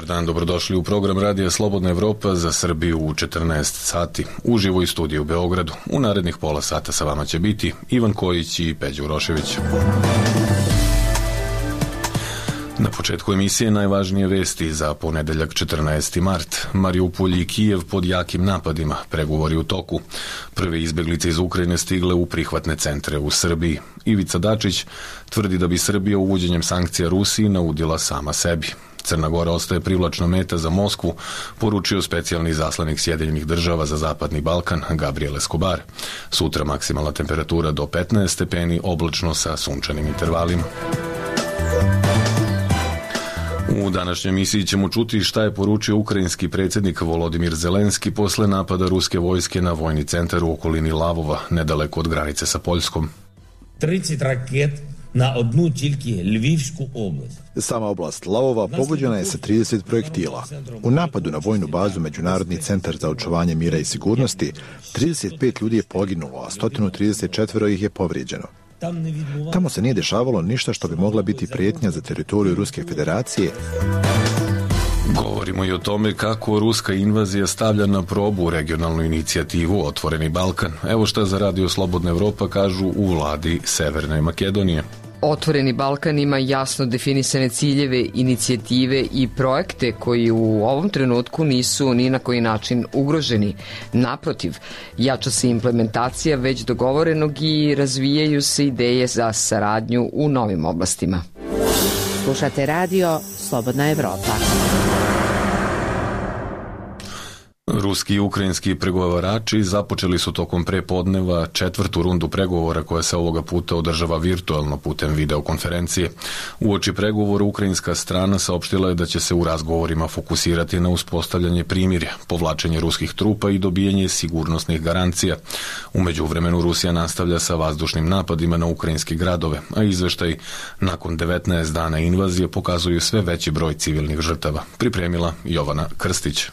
Dobar dan, dobrodošli u program Radija Slobodna Evropa za Srbiju u 14 sati. Uživo iz studija u Beogradu. U narednih pola sata sa vama će biti Ivan Kojić i Peđa Urošević. Na početku emisije najvažnije vesti za ponedeljak 14. mart. Mariupolj i Kijev pod jakim napadima, pregovori u toku. Prve izbeglice iz Ukrajine stigle u prihvatne centre u Srbiji. Ivica Dačić tvrdi da bi Srbija uvođenjem sankcija Rusiji naudila sama sebi. Crna Gora ostaje privlačna meta za Moskvu, poručio specijalni izaslanik Sjedinjenih država za Zapadni Balkan Gabriel Escobar. Sutra maksimalna temperatura do 15 stepeni, oblačno sa sunčanim intervalima. U današnjoj emisiji ćemo čuti šta je poručio ukrajinski predsjednik Volodimir Zelenski posle napada ruske vojske na vojni centar u okolini Lavova, nedaleko od granice sa Poljskom. 30 raket na одну тільки Львівську область. Sama oblast Lavova pogođena je sa 30 projektila. U napadu na vojnu bazu Međunarodni centar za očuvanje mira i sigurnosti 35 ljudi je poginulo, a 134 ih je povrijeđeno. Tamo se nije dešavalo ništa što bi mogla biti prijetnja za teritoriju Ruske federacije. Govorimo i o tome kako ruska invazija stavlja na probu regionalnu inicijativu Otvoreni Balkan. Evo šta za Radio Slobodna Evropa kažu u vladi Severne Makedonije. Otvoreni Balkan ima jasno definisane ciljeve, inicijative i projekte koji u ovom trenutku nisu ni na koji način ugroženi. Naprotiv, jača se implementacija već dogovorenog i razvijaju se ideje za saradnju u novim oblastima. Slušate radio Slobodna Evropa. Ruski i ukrajinski pregovarači započeli su tokom prepodneva četvrtu rundu pregovora koja se ovoga puta održava virtualno putem videokonferencije. Uoči pregovora ukrajinska strana saopštila je da će se u razgovorima fokusirati na uspostavljanje primirja, povlačenje ruskih trupa i dobijanje sigurnosnih garancija. U međuvremenu Rusija nastavlja sa vazdušnim napadima na ukrajinske gradove, a izveštaj nakon 19 dana invazije pokazuju sve veći broj civilnih žrtava. Pripremila Jovana Krstić.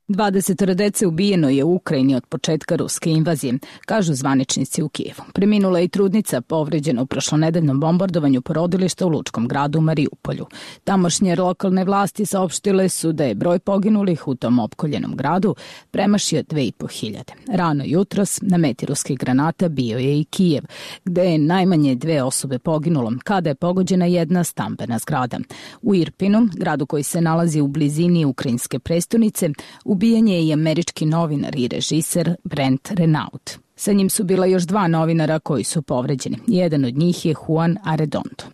20 dece ubijeno je u Ukrajini od početka ruske invazije, kažu zvaničnici u Kijevu. Preminula je i trudnica povređena u prošlonedeljnom bombardovanju porodilišta u lučkom gradu Mariupolju. Tamošnje lokalne vlasti saopštile su da je broj poginulih u tom opkoljenom gradu premašio 2.500. Rano jutros na meti ruskih granata bio je i Kijev, gde je najmanje 2 osobe poginulo kada je pogođena jedna stambena zgrada. U Irpinu, gradu koji se nalazi u blizini ukrajinske prestonice, ubijen je i američki novinar i režiser Brent Renaud. Sa njim su bila još 2 novinara koji su povređeni. Jedan od njih je Juan Arredondo.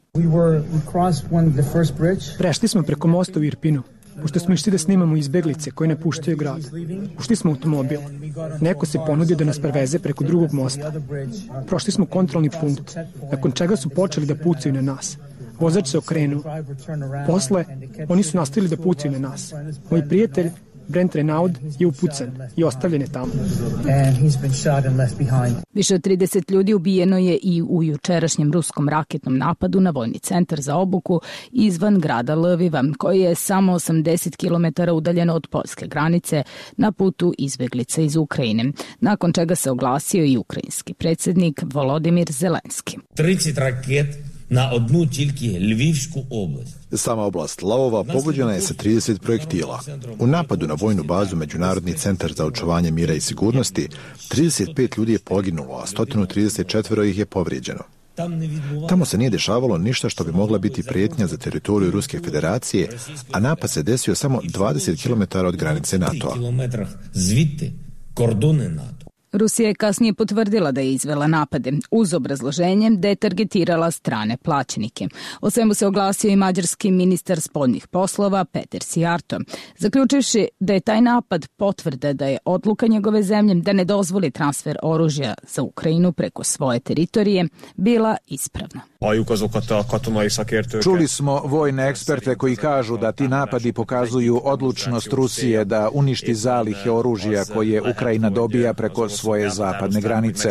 Prešli smo preko mosta u Irpinu, pošto smo išli da snimamo izbeglice koje napuštaju grad. Ušli smo u automobil. Neko se ponudio da nas preveze preko drugog mosta. Prošli smo kontrolni punkt, nakon čega su počeli da pucaju na nas. Vozač se okrenuo. Posle, oni su nastavili da pucaju na nas. Moj prijatelj Brent Renaud je upucan i ostavljen je tamo. Više od 30 ljudi ubijeno je i u jučerašnjem ruskom raketnom napadu na vojni centar za obuku izvan grada Lviva, koji je samo 80 km udaljeno od poljske granice na putu izbeglica iz Ukrajine, nakon čega se oglasio i ukrajinski predsjednik Volodimir Zelenski. 30 raket na одну тільки Львівську область. Sama oblast Lavova pogođena je sa 30 projektila. U napadu na vojnu bazu Međunarodni centar za očuvanje mira i sigurnosti 35 ljudi je poginulo, a 134 ih je povrijeđeno. Tamo se nije dešavalo ništa što bi mogla biti prijetnja za teritoriju Ruske federacije, a napad se desio samo 20 km od granice NATO-a. Rusija je kasnije potvrdila da je izvela napade, uz obrazloženje da je targetirala strane plaćenike. O svemu se oglasio i mađarski ministar spoljnih poslova Peter Sijarto, zaključivši da je taj napad potvrda da je odluka njegove zemlje da ne dozvoli transfer oružja za Ukrajinu preko svoje teritorije bila ispravna. Čuli smo vojne eksperte koji kažu da ti napadi pokazuju odlučnost Rusije da uništi zalihe oružja koje Ukrajina dobija preko svoje zapadne granice.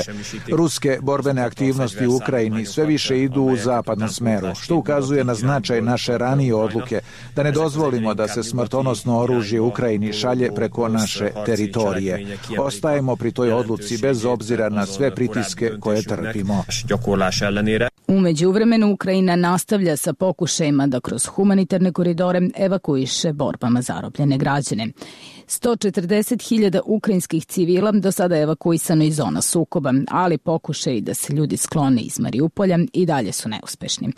Ruske borbene aktivnosti u Ukrajini sve više idu u zapadnom smeru, što ukazuje na značaj naše ranije odluke da ne dozvolimo da se smrtonosno oružje Ukrajini šalje preko naše teritorije. Ostajemo pri toj odluci bez obzira na sve pritiske koje trpimo. U međuvremenu Ukrajina nastavlja sa pokušajima da kroz humanitarne koridore evakuiše borbama zarobljene građane. 140.000 ukrajinskih civila do sada je evakuisano iz zona sukoba, ali pokušaji da se ljudi sklone iz Mariupolja i dalje su neuspešni.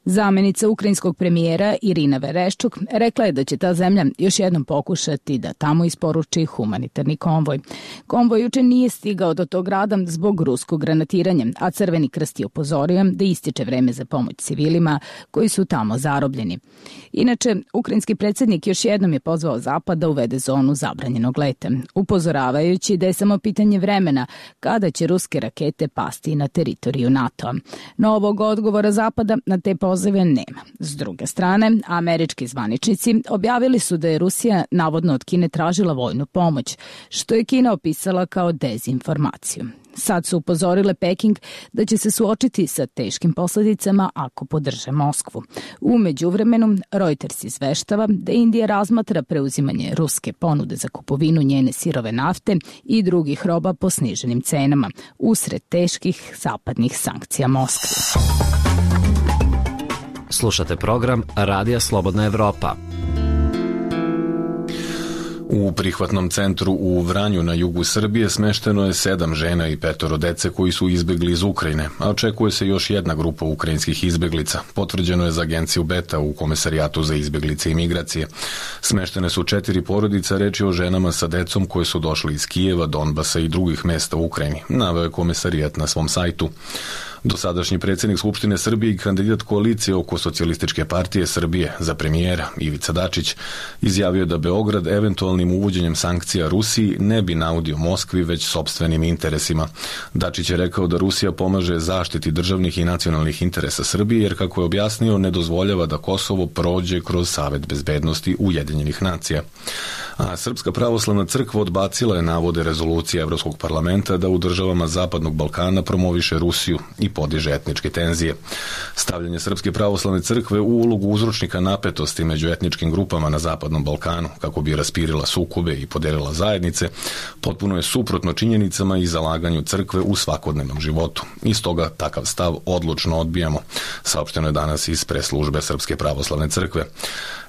Zamenica ukrajinskog premijera Irina Vereščuk rekla je da će ta zemlja još jednom pokušati da tamo isporuči humanitarni konvoj. Konvoj juče nije stigao do tog grada zbog ruskog granatiranja, a Crveni krst je upozorio da ističe vreme za pomoć civilima koji su tamo zarobljeni. Inače, ukrajinski predsjednik još jednom je pozvao Zapad da uvede zonu zabranjenog leta, upozoravajući da je samo pitanje vremena kada će ruske rakete pasti na teritoriju NATO-a. Novog odgovora Zapada na te pozive nema. S druge strane, američki zvaničnici objavili su da je Rusija navodno od Kine tražila vojnu pomoć, što je Kina opisala kao dezinformaciju. Sad su upozorile Peking da će se suočiti sa teškim posljedicama ako podrže Moskvu. U međuvremenu, Reuters izveštava da Indija razmatra preuzimanje ruske ponude za kupovinu njene sirove nafte i drugih roba po sniženim cenama, usred teških zapadnih sankcija Moskve. Slušate program Radija Slobodna Evropa. U prihvatnom centru u Vranju na jugu Srbije smešteno je 7 žena i 5 dece koji su izbegli iz Ukrajine, a očekuje se još jedna grupa ukrajinskih izbeglica. Potvrđeno je za agenciju Beta u Komesarijatu za izbeglice i migracije. Smeštene su 4 porodica, reč je o ženama sa decom koje su došli iz Kijeva, Donbasa i drugih mesta u Ukrajini, naveo je Komesarijat na svom sajtu. Dosadašnji predsjednik Skupštine Srbije i kandidat koalicije oko Socijalističke partije Srbije za premijera Ivica Dačić izjavio da Beograd eventualnim uvođenjem sankcija Rusiji ne bi naudio Moskvi već sopstvenim interesima. Dačić je rekao da Rusija pomaže zaštiti državnih i nacionalnih interesa Srbije jer, kako je objasnio, ne dozvoljava da Kosovo prođe kroz Savet bezbednosti Ujedinjenih nacija. A Srpska pravoslavna crkva odbacila je navode rezolucije Evropskog parlamenta da u državama Zapadnog Balkana promoviše Rusiju i podiže etničke tenzije. Stavljanje Srpske pravoslavne crkve u ulogu uzročnika napetosti među etničkim grupama na Zapadnom Balkanu, kako bi raspirila sukobe i podelila zajednice, potpuno je suprotno činjenicama i zalaganju crkve u svakodnevnom životu. I stoga takav stav odlučno odbijamo, saopšteno je danas iz preslužbe Srpske pravoslavne crkve.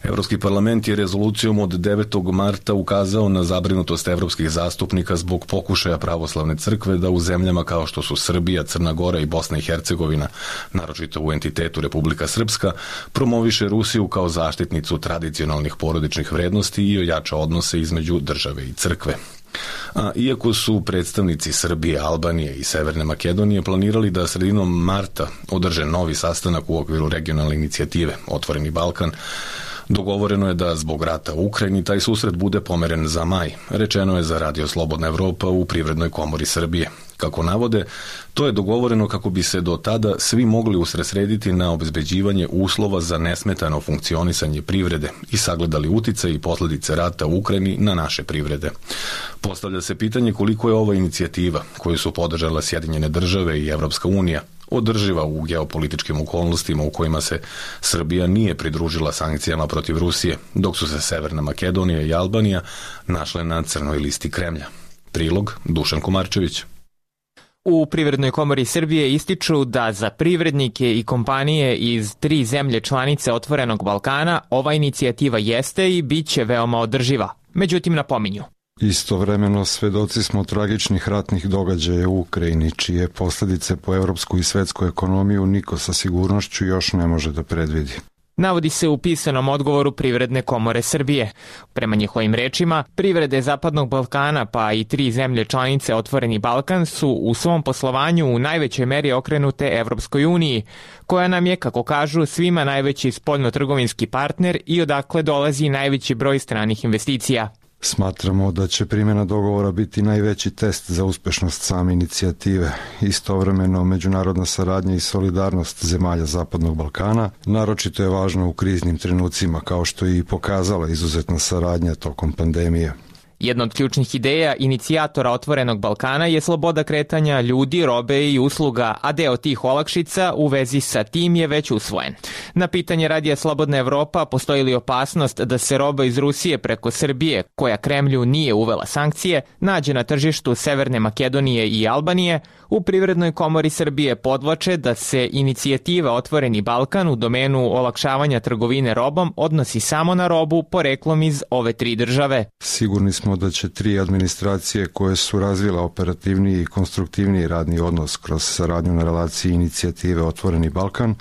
Evropski parlament je rezolucijom od 9. marta ukazao na zabrinutost evropskih zastupnika zbog pokušaja pravoslavne crkve da u zemljama kao što su Srbija, Crna Gora i Bosna i Hercegovina, naročito u entitetu Republika Srpska, promoviše Rusiju kao zaštitnicu tradicionalnih porodičnih vrednosti i ojača odnose između države i crkve. A iako su predstavnici Srbije, Albanije i Severne Makedonije planirali da sredinom marta održe novi sastanak u okviru regionalne inicijative Otvoreni Balkan, dogovoreno je da zbog rata u Ukrajini taj susret bude pomeren za maj, rečeno je za Radio Slobodna Evropa u Privrednoj komori Srbije. Kako navode, to je dogovoreno kako bi se do tada svi mogli usredsrediti na obezbeđivanje uslova za nesmetano funkcionisanje privrede i sagledali utice i posljedice rata u Ukrajini na naše privrede. Postavlja se pitanje koliko je ova inicijativa, koju su podržala Sjedinjene države i Evropska unija, održiva u geopolitičkim okolnostima u kojima se Srbija nije pridružila sankcijama protiv Rusije, dok su se Severna Makedonija i Albanija našle na crnoj listi Kremlja. Prilog Dušan Komarčević. U Privrednoj komori Srbije ističu da za privrednike i kompanije iz 3 zemlje članice Otvorenog Balkana ova inicijativa jeste i bit će veoma održiva. Međutim, napominju. Istovremeno svedoci smo tragičnih ratnih događaja u Ukrajini, čije posljedice po evropsku i svetsku ekonomiju niko sa sigurnošću još ne može da predvidi. Navodi se u pisanom odgovoru Privredne komore Srbije. Prema njihovim rečima, privrede Zapadnog Balkana pa i 3 zemlje članice Otvoreni Balkan su u svom poslovanju u najvećoj meri okrenute Evropskoj uniji, koja nam je, kako kažu, svima najveći spoljno-trgovinski partner i odakle dolazi najveći broj stranih investicija. Smatramo da će primjena dogovora biti najveći test za uspešnost same inicijative. Istovremeno, međunarodna saradnja i solidarnost zemalja Zapadnog Balkana naročito je važna u kriznim trenucima, kao što je i pokazala izuzetna saradnja tokom pandemije. Jedna od ključnih ideja inicijatora Otvorenog Balkana je sloboda kretanja ljudi, robe i usluga, a deo tih olakšica u vezi sa tim je već usvojen. Na pitanje Radija Slobodna Evropa postoji li opasnost da se roba iz Rusije preko Srbije, koja Kremlju nije uvela sankcije, nađe na tržištu Severne Makedonije i Albanije, u Privrednoj komori Srbije podvlače da se inicijativa Otvoreni Balkan u domenu olakšavanja trgovine robom odnosi samo na robu poreklom iz ove 3 države. Sigurni smo da će 3 administracije koje su razvila operativniji i konstruktivniji radni odnos kroz saradnju na relaciji inicijative Otvoreni Balkan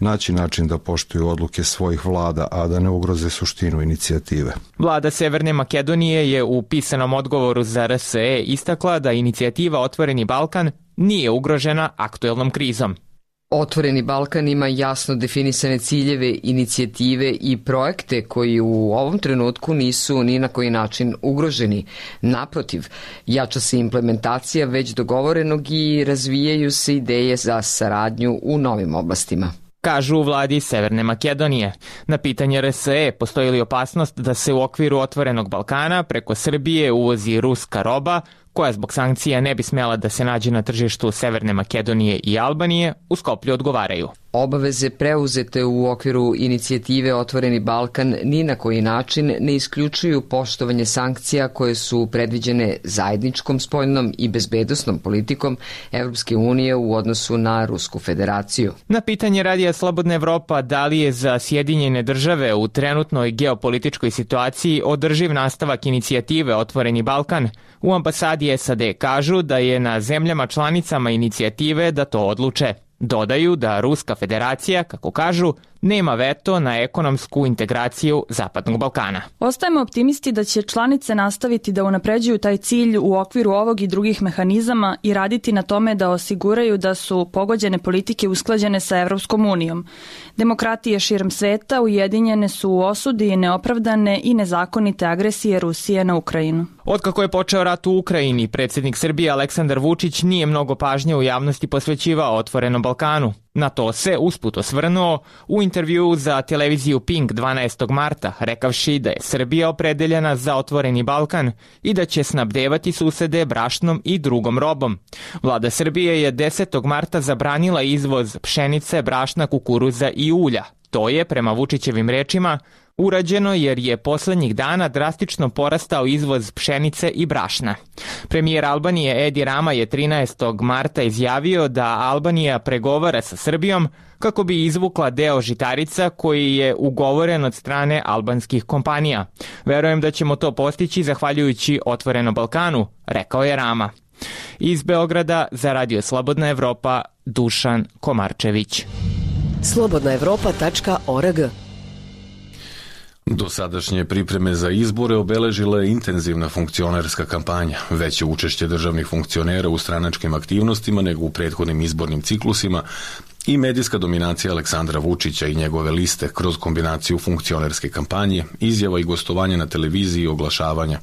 naći način da poštuju odluke svojih vlada, a da ne ugroze suštinu inicijative. Vlada Severne Makedonije je u pisanom odgovoru za RSE istakla da inicijativa Otvoreni Balkan nije ugrožena aktuelnom krizom. Otvoreni Balkan ima jasno definisane ciljeve, inicijative i projekte koji u ovom trenutku nisu ni na koji način ugroženi. Naprotiv, jača se implementacija već dogovorenog i razvijaju se ideje za saradnju u novim oblastima. Kažu u vladi Severne Makedonije. Na pitanje RSE postoji li opasnost da se u okviru Otvorenog Balkana preko Srbije uvozi ruska roba, koja zbog sankcija ne bi smela da se nađe na tržištu Severne Makedonije i Albanije, u Skoplju odgovaraju. Obaveze preuzete u okviru inicijative Otvoreni Balkan ni na koji način ne isključuju poštovanje sankcija koje su predviđene zajedničkom spoljnom i bezbednosnom politikom Evropske unije u odnosu na Rusku federaciju. Na pitanje Radija Slobodna Evropa da li je za Sjedinjene države u trenutnoj geopolitičkoj situaciji održiv nastavak inicijative Otvoreni Balkan, u ambasadi SAD kažu da je na zemljama članicama inicijative da to odluče. Dodaju da Ruska federacija, kako kažu, nema veto na ekonomsku integraciju Zapadnog Balkana. Ostajemo optimisti da će članice nastaviti da unapređuju taj cilj u okviru ovog i drugih mehanizama i raditi na tome da osiguraju da su pogođene politike usklađene sa Evropskom unijom. Demokratije širom sveta ujedinjene su u osudi neopravdane i nezakonite agresije Rusije na Ukrajinu. Otkako je počeo rat u Ukrajini, predsjednik Srbije Aleksandar Vučić nije mnogo pažnje u javnosti posvećivao Otvorenom Balkanu. Na to se usput osvrnuo u intervjuu za televiziju Pink 12. marta, rekavši da je Srbija opredeljena za Otvoreni Balkan i da će snabdevati susede brašnom i drugom robom. Vlada Srbije je 10. marta zabranila izvoz pšenice, brašna, kukuruza i ulja. To je, prema Vučićevim rečima, urađeno jer je poslednjih dana drastično porastao izvoz pšenice i brašna. Premijer Albanije Edi Rama je 13. marta izjavio da Albanija pregovara sa Srbijom kako bi izvukla deo žitarica koji je ugovoren od strane albanskih kompanija. Verujem da ćemo to postići zahvaljujući Otvorenom Balkanu, rekao je Rama. Iz Beograda za Radio Slobodna Evropa, Dušan Komarčević. slobodnaevropa.org. Dosadašnje pripreme za izbore obeležila je intenzivna funkcionerska kampanja, veće učešće državnih funkcionera u stranačkim aktivnostima nego u prethodnim izbornim ciklusima i medijska dominacija Aleksandra Vučića i njegove liste kroz kombinaciju funkcionerske kampanje, izjava i gostovanja na televiziji i oglašavanja.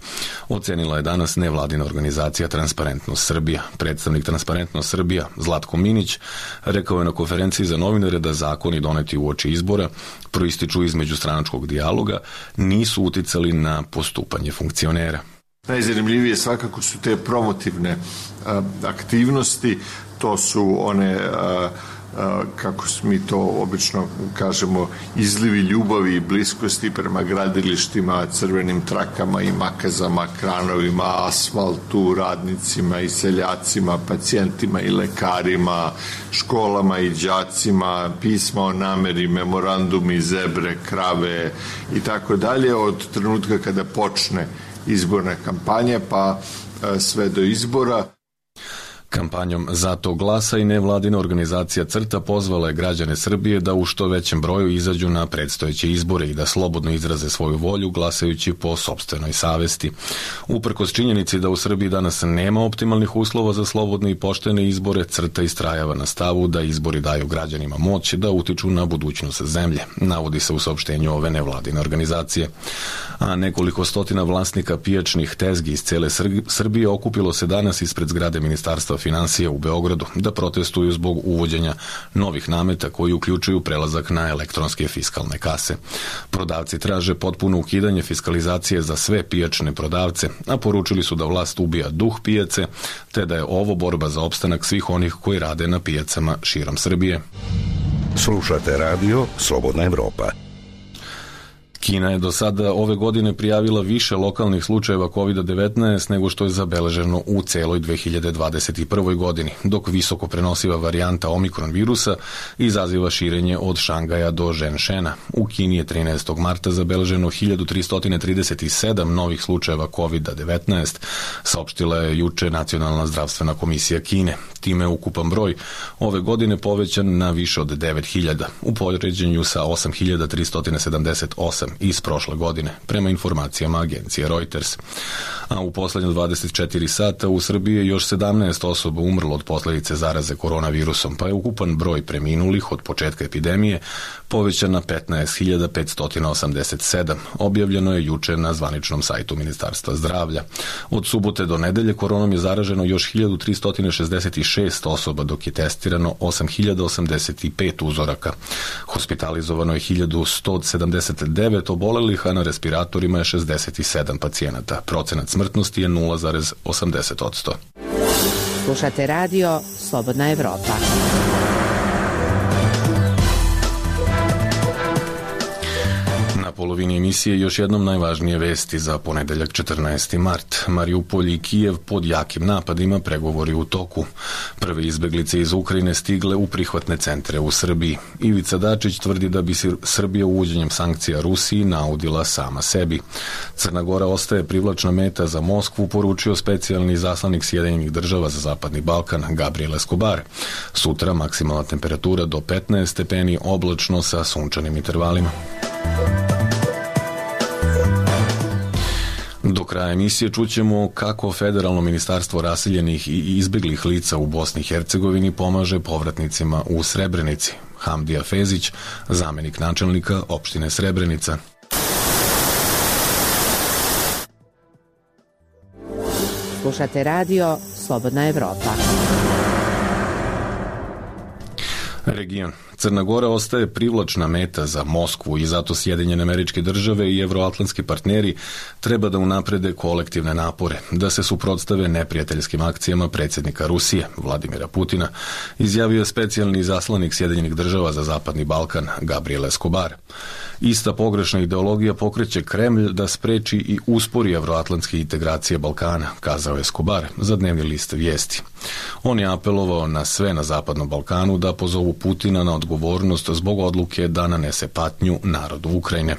Ocenila je danas nevladina organizacija Transparentnost Srbija. Predstavnik Transparentnost Srbija Zlatko Minić rekao je na konferenciji za novinare da zakoni doneti uoči izbora proističu iz međustranačkog dijaloga, nisu uticali na postupanje funkcionera. Najzanimljivije svakako su te promotivne aktivnosti, to su one kako mi to obično kažemo, izlivi ljubavi i bliskosti prema gradilištima, crvenim trakama i makazama, kranovima, asfaltu, radnicima i seljacima, pacijentima i lekarima, školama i đacima, pisma o nameri, memorandumi, zebre, krave i tako dalje, od trenutka kada počne izborna kampanja pa sve do izbora. Kampanjom Zato glasa i nevladina organizacija CRTA pozvala je građane Srbije da u što većem broju izađu na predstojeće izbore i da slobodno izraze svoju volju glasajući po sopstvenoj savesti. Uprkos činjenici da u Srbiji danas nema optimalnih uslova za slobodne i poštene izbore, CRTA istrajava na stavu da izbori daju građanima moć da utiču na budućnost zemlje, navodi se u saopštenju ove nevladine organizacije. A nekoliko stotina vlasnika pijačnih tezgi iz cele Srbije okupilo se danas ispred zgrade Ministarstva finansija u Beogradu da protestuju zbog uvođenja novih nameta koji uključuju prelazak na elektronske fiskalne kase. Prodavci traže potpuno ukidanje fiskalizacije za sve pijačne prodavce, a poručili su da vlast ubija duh pijace, te da je ovo borba za opstanak svih onih koji rade na pijacama širom Srbije. Slušate radio Slobodna Evropa. Kina je do sada ove godine prijavila više lokalnih slučajeva COVID-19 nego što je zabeleženo u celoj 2021. godini, dok visoko prenosiva varijanta Omikron virusa izaziva širenje od Šangaja do Ženšena. U Kini je 13. marta zabeleženo 1337 novih slučajeva COVID-19, saopštila je juče Nacionalna zdravstvena komisija Kine. Time je ukupan broj ove godine povećan na više od 9000, u poređenju sa 8378 iz prošle godine, prema informacijama agencije Reuters. A u poslednje 24 sata u Srbiji je još 17 osoba umrlo od posledice zaraze koronavirusom, pa je ukupan broj preminulih od početka epidemije povećan na 15.587. Objavljeno je juče na zvaničnom sajtu Ministarstva zdravlja. Od subote do nedelje koronom je zaraženo još 1366 osoba, dok je testirano 8085 uzoraka. Hospitalizovano je 1179 obolelih, a na respiratorima je 67 pacijenata. Procenat smrtnosti je 0,80%. Slušate radio Slobodna Evropa. Na polovini emisije još jednom najvažnije vesti za ponedeljak 14. mart. Mariupolj i Kijev pod jakim napadima, pregovori u toku. Prve izbeglice iz Ukrajine stigle u prihvatne centre u Srbiji. Ivica Dačić tvrdi da bi Srbija uvođenjem sankcija Rusiji naudila sama sebi. Crna Gora ostaje privlačna meta za Moskvu, poručio specijalni izaslanik Sjedinjenih država za Zapadni Balkan Gabriel Escobar. Sutra maksimalna temperatura do 15 stepeni, oblačno sa sunčanim intervalima. Do kraja emisije čućemo kako Federalno ministarstvo raseljenih i izbeglih lica u Bosni i Hercegovini pomaže povratnicima u Srebrenici. Hamdija Fezić, zamenik načelnika opštine Srebrenica. Slušate radio Slobodna Evropa. Region. Crna Gora ostaje privlačna meta za Moskvu i zato Sjedinjene Američke Države i evroatlantski partneri treba da unaprede kolektivne napore, da se suprotstave neprijateljskim akcijama predsjednika Rusije, Vladimira Putina, izjavio je specijalni izaslanik Sjedinjenih Država za Zapadni Balkan, Gabriel Escobar. Ista pogrešna ideologija pokreće Kremlj da spreči i uspori evroatlantske integracije Balkana, kazao je Escobar za dnevni list Vijesti. On je apelovao na sve na Zapadnom Balkanu da pozovu Putina na odgovornost zbog odluke da nanese patnju narodu Ukrajine.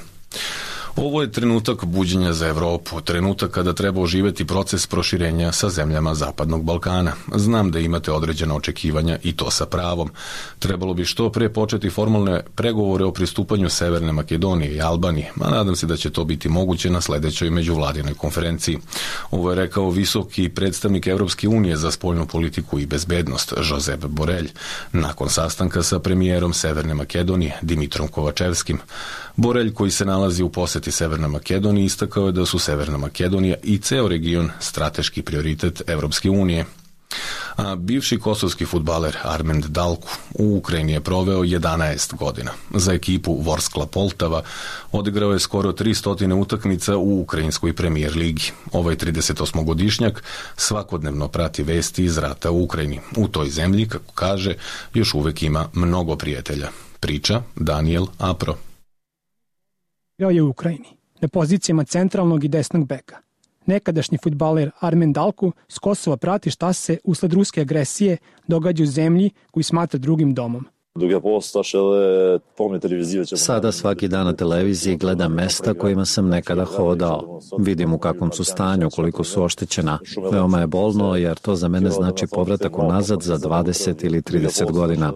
Ovo je trenutak buđenja za Evropu, trenutak kada treba oživeti proces proširenja sa zemljama Zapadnog Balkana. Znam da imate određena očekivanja i to sa pravom. Trebalo bi što pre početi formalne pregovore o pristupanju Severne Makedonije i Albanije, a nadam se da će to biti moguće na sledećoj međuvladinoj konferenciji. Ovo je rekao visoki predstavnik Evropske unije za spoljnu politiku i bezbednost, Josep Borrell, nakon sastanka sa premijerom Severne Makedonije, Dimitrom Kovačevskim. Borrell, koji se nalazi u poseti Severnoj Makedoniji, istakao je da su Severna Makedonija i ceo region strateški prioritet Evropske unije. A bivši kosovski fudbaler Armend Dalku u Ukrajini je proveo 11 godina. Za ekipu Vorskla Poltava odigrao je skoro 300 utakmica u ukrajinskoj premijer ligi. Ovaj 38-godišnjak svakodnevno prati vesti iz rata u Ukrajini. U toj zemlji, kako kaže, još uvek ima mnogo prijatelja. Priča Daniel Apro. Igrao je u Ukrajini, na pozicijama centralnog i desnog beka. Nekadašnji fudbaler Armen Dalku s Kosova prati šta se usled ruske agresije događa u zemlji koju smatra drugim domom. Sada svaki dan na televiziji gledam mesta kojima sam nekada hodao. Vidim u kakvom su stanju, koliko su oštećena. Veoma je bolno jer to za mene znači povratak unazad za 20 ili 30 godina.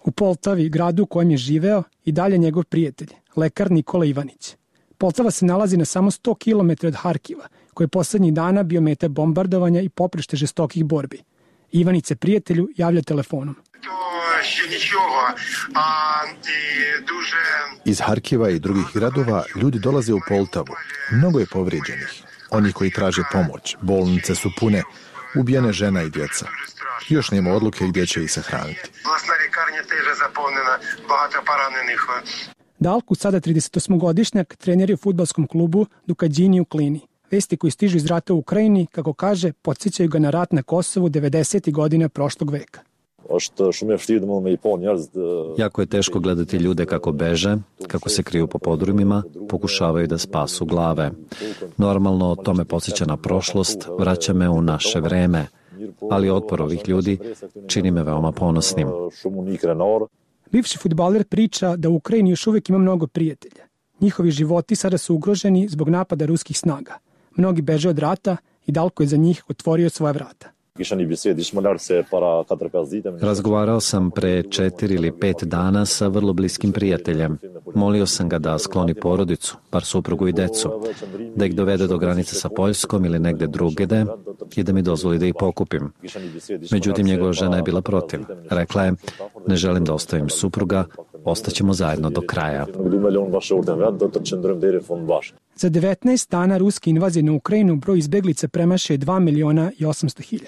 U Poltavi, gradu u kojem je živeo, i dalje njegov prijatelj, lekar Nikola Ivanić. Poltava se nalazi na samo 100 km od Harkiva, koji je poslednjih dana bio meta bombardovanja i poprište žestokih borbi. Ivanić se prijatelju javlja telefonom. Iz Harkiva i drugih gradova ljudi dolaze u Poltavu. Mnogo je povrijeđenih. Oni koji traže pomoć, bolnice su pune, ubijene žena i djeca. Još nema odluke gdje će ih sahraniti. Dalku, sada 38-godišnjak, trener je u fudbalskom klubu Dukadžini u Klini. Vesti koji stižu iz rata u Ukrajini, kako kaže, podsjećaju ga na rat na Kosovu 90. godina prošlog veka. Jako je teško gledati ljude kako beže, kako se kriju po podrumima, pokušavaju da spasu glave. Normalno, to me podsjeća na prošlost, vraća me u naše vreme, ali otpor ovih ljudi čini me veoma ponosnim. Bivši fudbaler priča da u Ukrajini još uvijek ima mnogo prijatelja. Njihovi životi sada su ugroženi zbog napada ruskih snaga. Mnogi beže od rata i Dalko je za njih otvorio svoja vrata. Razgovarao sam pre 4 ili 5 dana sa vrlo bliskim prijateljem. Molio sam ga da skloni porodicu, bar suprugu i decu, da ih dovede do granice sa Poljskom ili negde drugde i da mi dozvoli da ih pokupim. Međutim, njegova žena je bila protiv. Rekla je, ne želim da ostavim supruga, ostaćemo zajedno do kraja. Za 19 dana ruske invazije na Ukrajinu broj izbeglica premašuje 2.800.000.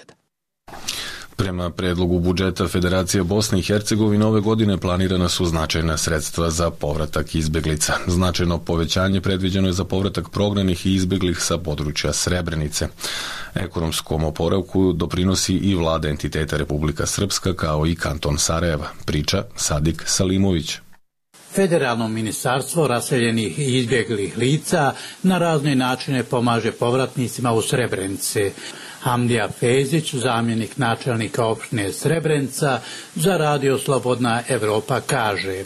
Prema predlogu budžeta Federacije Bosne i Hercegovine ove godine planirana su značajna sredstva za povratak izbeglica. Značajno povećanje predviđeno je za povratak prognanih i izbeglih sa područja Srebrenice. Ekonomskom oporavku doprinosi i vlada entiteta Republika Srpska kao i kanton Sarajeva, priča Sadik Salimović. Federalno ministarstvo raseljenih i izbjeglih lica na razne načine pomaže povratnicima u Srebrenici. Hamdija Fezić, zamjenik načelnika opštine Srebrenica, za Radio Slobodna Evropa kaže: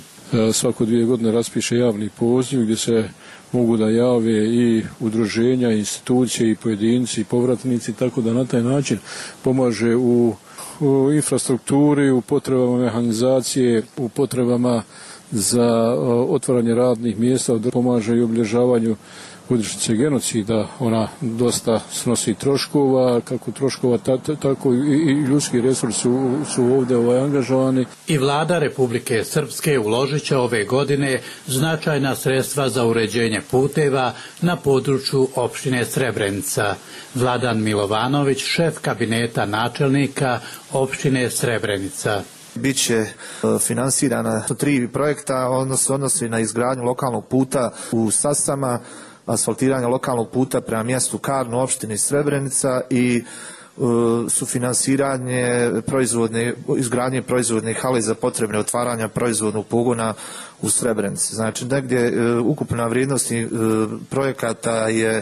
Svako 2 godine raspiše javni poziv gdje se mogu da jave i udruženja, institucije i pojedinci i povratnici, tako da na taj način pomaže u infrastrukturi, u potrebama mehanizacije, u potrebama za otvaranje radnih mjesta, pomaže i obilježavanju godišnjice genocida. Ona dosta snosi troškova, kako troškova, tako i ljudski resursi su ovdje angažovani. I vlada Republike Srpske uložit će ove godine značajna sredstva za uređenje puteva na području opštine Srebrenica. Vladan Milovanović, šef kabineta načelnika opštine Srebrenica. Biće finansirana 3 projekta, odnosi na izgradnju lokalnog puta u Sasama, asfaltiranje lokalnog puta prema mjestu Karno opštine Srebrenica i sufinansiranje izgradnje proizvodne hale za potrebne otvaranja proizvodnog pogona u Srebrenici. Znači, negdje ukupna vrijednost projekata je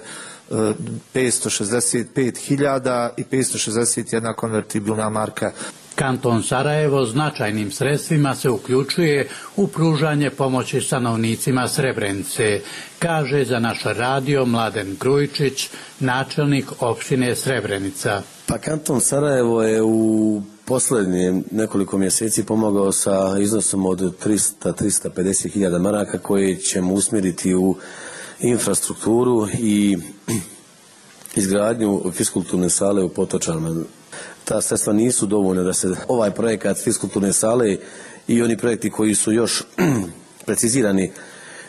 565.000 i 561 konvertibilna marka. Kanton Sarajevo značajnim sredstvima se uključuje u pružanje pomoći stanovnicima Srebrenice, kaže za naš radio Mladen Grujičić, načelnik opštine Srebrenica. Pa Kanton Sarajevo je u posljednje nekoliko mjeseci pomogao sa iznosom od 350.000 maraka koje ćemo usmjeriti u infrastrukturu i izgradnju fiskulturne sale u Potočanima. Ta sredstva nisu dovoljna da se ovaj projekat fiskulturne sale i oni projekti koji su još precizirani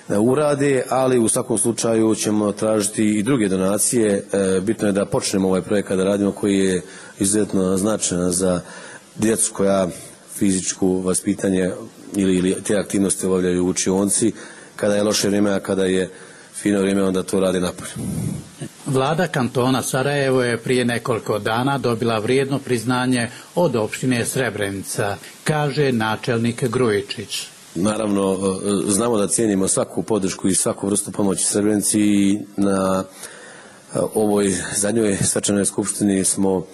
urade, ali u svakom slučaju ćemo tražiti i druge donacije. Bitno je da počnemo ovaj projekat da radimo, koji je izuzetno značajan za djecu koja fizičku vaspitanje ili te aktivnosti obavljaju u učionci. Kada je loše vrijeme, a kada je fino vrijeme, onda to radi napolje. Vlada kantona Sarajevo je prije nekoliko dana dobila vrijedno priznanje od opštine Srebrenica, kaže načelnik Grujičić. Naravno, znamo da cijenimo svaku podršku i svaku vrstu pomoći Srebrenici i na ovoj zadnjoj svečanoj skupštini smo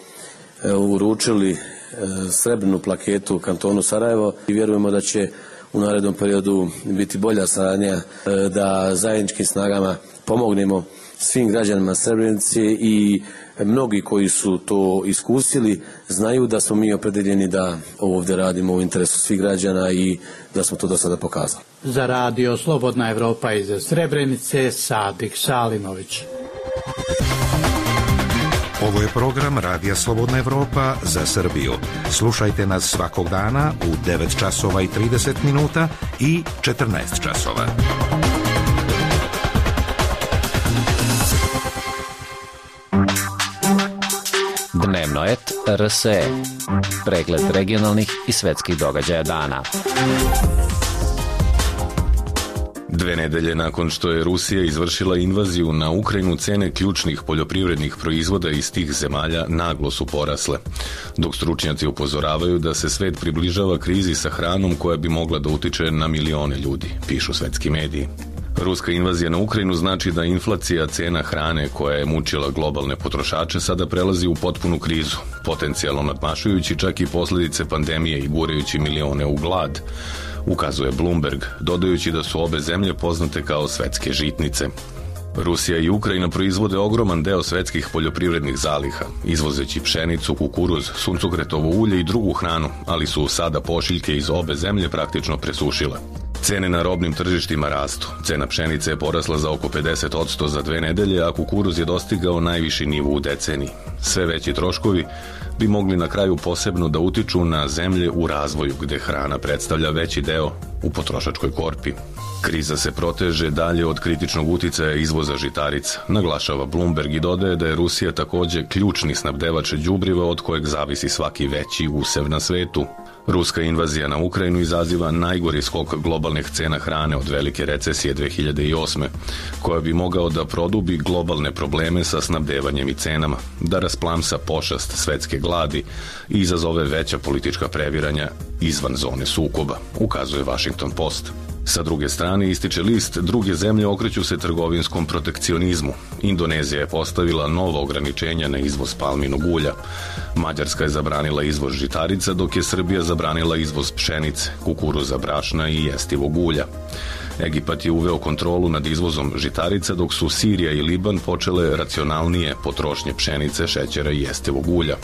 uručili srebrnu plaketu kantonu Sarajevo i vjerujemo da će u narednom periodu biti bolja saradnja, da zajedničkim snagama pomognemo svim građanima Srebrenice i mnogi koji su to iskusili znaju da smo mi opredeljeni da ovdje radimo u interesu svih građana i da smo to do sada pokazali. Za Radio Slobodna Evropa iz Srebrenice, Sadik Salimović. Ovo je program Radija Slobodna Evropa za Srbiju. Slušajte nas svakog dana u 9 časova i 30 minuta i 14 časova. Dnevnoet.rs. Pregled regionalnih i svetskih događaja dana. 2 nedelje nakon što je Rusija izvršila invaziju na Ukrajinu, cene ključnih poljoprivrednih proizvoda iz tih zemalja naglo su porasle, dok stručnjaci upozoravaju da se svet približava krizi sa hranom koja bi mogla da utiče na milione ljudi, pišu svetski mediji. Ruska invazija na Ukrajinu znači da inflacija cena hrane koja je mučila globalne potrošače sada prelazi u potpunu krizu, potencijalno nadmašujući čak i posljedice pandemije i gurajući milione u glad, ukazuje Bloomberg, dodajući da su obe zemlje poznate kao svetske žitnice. Rusija i Ukrajina proizvode ogroman deo svetskih poljoprivrednih zaliha, izvozeći pšenicu, kukuruz, suncokretovo ulje i drugu hranu, ali su sada pošiljke iz obe zemlje praktično presušile. Cene na robnim tržištima rastu. Cena pšenice je porasla za oko 50% za 2 nedelje, a kukuruz je dostigao najviši nivo u deceniji. Sve veći troškovi bi mogli na kraju posebno da utiču na zemlje u razvoju, gde hrana predstavlja veći deo u potrošačkoj korpi. Kriza se proteže dalje od kritičnog uticaja izvoza žitarica, naglašava Bloomberg i dodaje da je Rusija takođe ključni snabdevač đubriva od kojeg zavisi svaki veći usev na svetu. Ruska invazija na Ukrajinu izaziva najgori skok globalnih cena hrane od velike recesije 2008. koja bi mogao da produbi globalne probleme sa snabdevanjem i cenama, da rasplamsa pošast svetske gladi i izazove veća politička previranja izvan zone sukoba, ukazuje Washington Post. Sa druge strane, ističe list, druge zemlje okreću se trgovinskom protekcionizmu. Indonezija je postavila nova ograničenja na izvoz palminog ulja. Mađarska je zabranila izvoz žitarica, dok je Srbija zabranila izvoz pšenice, kukuruza, brašna i jestivog ulja. Egipat je uveo kontrolu nad izvozom žitarica, dok su Sirija i Liban počele racionalnije potrošnje pšenice, šećera i jestivog ulja.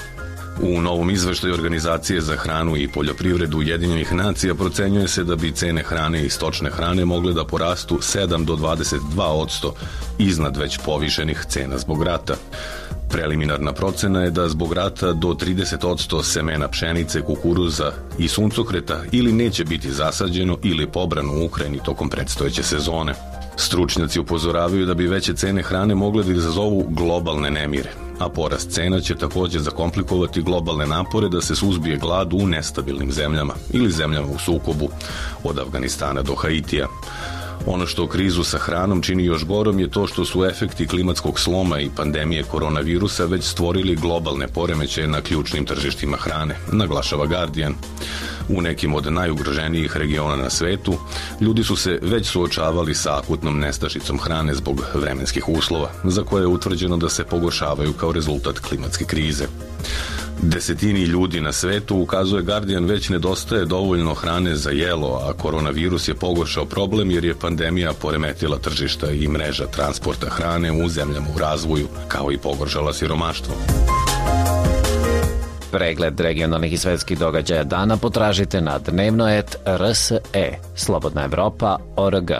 U novom izveštaju Organizacije za hranu i poljoprivredu Ujedinjenih nacija procenjuje se da bi cene hrane i stočne hrane mogle da porastu 7 do 22% iznad već povišenih cena zbog rata. Preliminarna procena je da zbog rata do 30% semena pšenice, kukuruza i suncokreta ili neće biti zasađeno ili pobrano u Ukrajini tokom predstojeće sezone. Stručnjaci upozoravaju da bi veće cene hrane mogle da izazovu globalne nemire, a porast cena će takođe zakomplikovati globalne napore da se suzbije glad u nestabilnim zemljama ili zemljama u sukobu, od Afganistana do Haitija. Ono što krizu sa hranom čini još gorom je to što su efekti klimatskog sloma i pandemije koronavirusa već stvorili globalne poremećaje na ključnim tržištima hrane, naglašava Guardian. U nekim od najugroženijih regiona na svetu, ljudi su se već suočavali sa akutnom nestašicom hrane zbog vremenskih uslova, za koje je utvrđeno da se pogoršavaju kao rezultat klimatske krize. Desetini ljudi na svetu, ukazuje Guardian, već nedostaje dovoljno hrane za jelo, a koronavirus je pogoršao problem jer je pandemija poremetila tržišta i mreža transporta hrane u zemljama u razvoju, kao i pogoršala siromaštvo. Pregled regionalnih i svetskih događaja dana potražite na Dnevnoet.rs. Slobodna Evropa.org.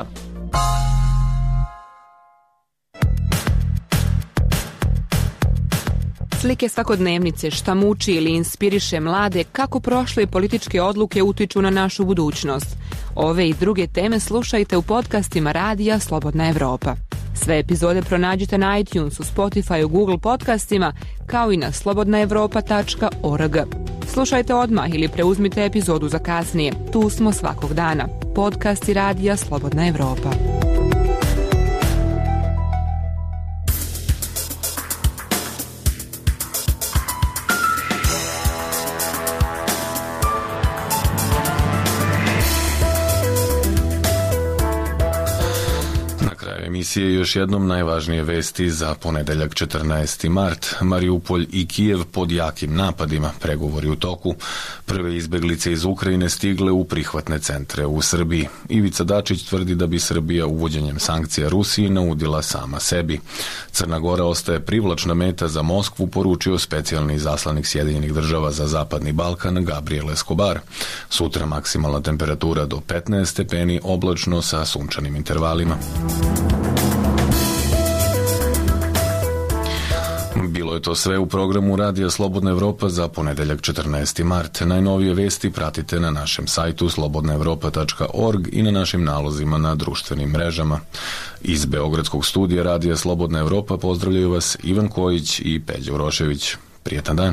Slike svakodnevnice, šta muči ili inspiriše mlade, kako prošle političke odluke utiču na našu budućnost. Ove i druge teme slušajte u podcastima Radija Slobodna Evropa. Sve epizode pronađite na iTunesu, Spotifyu, Google podcastima, kao i na slobodnaevropa.org. Slušajte odmah ili preuzmite epizodu za kasnije. Tu smo svakog dana. Podcasti Radija Slobodna Evropa. Emisije još jednom najvažnije vesti za ponedeljak 14. mart. Mariupolj i Kijev pod jakim napadima, pregovori u toku. Prve izbeglice iz Ukrajine stigle u prihvatne centre u Srbiji. Ivica Dačić tvrdi da bi Srbija uvođenjem sankcija Rusiji naudila sama sebi. Crna Gora ostaje privlačna meta za Moskvu, poručio specijalni izaslanik Sjedinjenih država za Zapadni Balkan Gabriel Escobar. Sutra maksimalna temperatura do 15 stepeni, oblačno sa sunčanim intervalima. Bilo je to sve u programu Radija Slobodna Evropa za ponedeljak 14. mart. Najnovije vesti pratite na našem sajtu slobodnaevropa.org i na našim nalozima na društvenim mrežama. Iz Beogradskog studija Radija Slobodna Evropa pozdravljaju vas Ivan Kojić i Peđa Urošević. Prijetan dan.